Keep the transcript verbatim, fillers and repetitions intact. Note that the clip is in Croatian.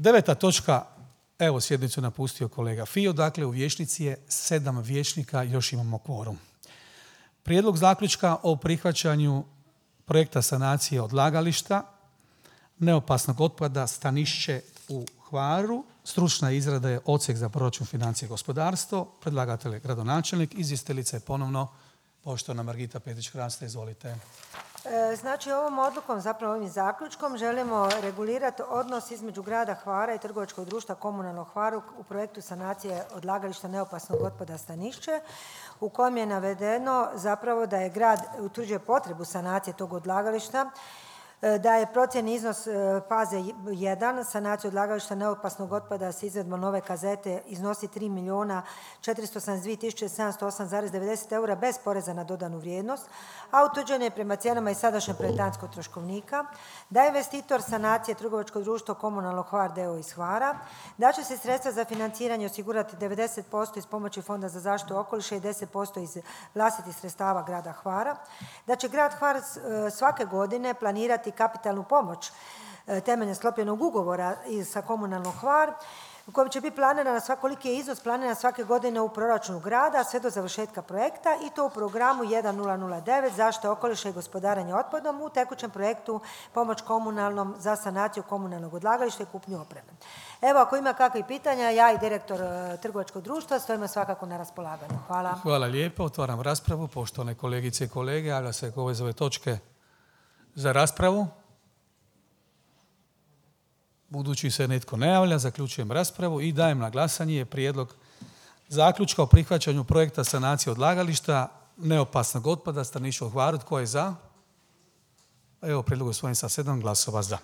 Deveta točka, evo sjednicu napustio kolega Fio, dakle u vijećnici je sedam vijećnika, još imamo kvorum. Prijedlog zaključka o prihvaćanju projekta sanacije odlagališta neopasnog otpada Stanišće u Hvaru. Stručna izrada je Odsjek za proračun, financije i gospodarstvo. Predlagatelj je gradonačelnik. Izvjestiteljica je ponovno poštovana Margita Petić-Hrasta. Izvolite. Znači, ovom odlukom, zapravo ovim zaključkom, želimo regulirati odnos između grada Hvara i trgovačkog društva Komunalno Hvaru u projektu sanacije odlagališta neopasnog otpada Stanišće, u kojem je navedeno zapravo da je grad utvrđuje potrebu sanacije tog odlagališta, da je procjeni iznos faze jedan, sanacije odlagališta neopasnog otpada s izvedbom nove kazete iznosi tri milijuna četiristo osamdeset dvije tisuće sedamsto osam zarez devedeset eura bez poreza na dodanu vrijednost, a utvrđen je prema cijenama iz sadašnjeg projektantskog troškovnika, da je investitor sanacije trgovačko društvo Komunalno Hvar d.o.o. iz Hvara, da će se sredstva za financiranje osigurati devedeset posto iz pomoći Fonda za zaštitu okoliša i deset posto iz vlastitih sredstava grada Hvara, da će grad Hvar svake godine planirati kapitalnu pomoć temeljem sklopljenog ugovora sa Komunalno Hvar, u kojem će biti planirana svakoliki je iznos planiran svake godine u proračunu grada sve do završetka projekta i to u programu jedan nula nula devet zaštita okoliša i gospodarenja otpadom u tekućem projektu pomoć komunalnom za sanaciju komunalnog odlagališta i kupnju opreme. Evo, ako ima kakvih pitanja, ja i direktor trgovačkog društva stojimo svakako na raspolaganju. Hvala. Hvala lijepo. Otvaram raspravu. Poštovane kolegice i kolege, javlja se ko ove točke za raspravu. Budući se netko ne javlja, zaključujem raspravu i dajem na glasanje prijedlog zaključka o prihvaćanju projekta sanacije odlagališta neopasnog otpada Stanišće u Hvaru. Tko je za? Evo, prijedlog usvojen sa sedam glasova za.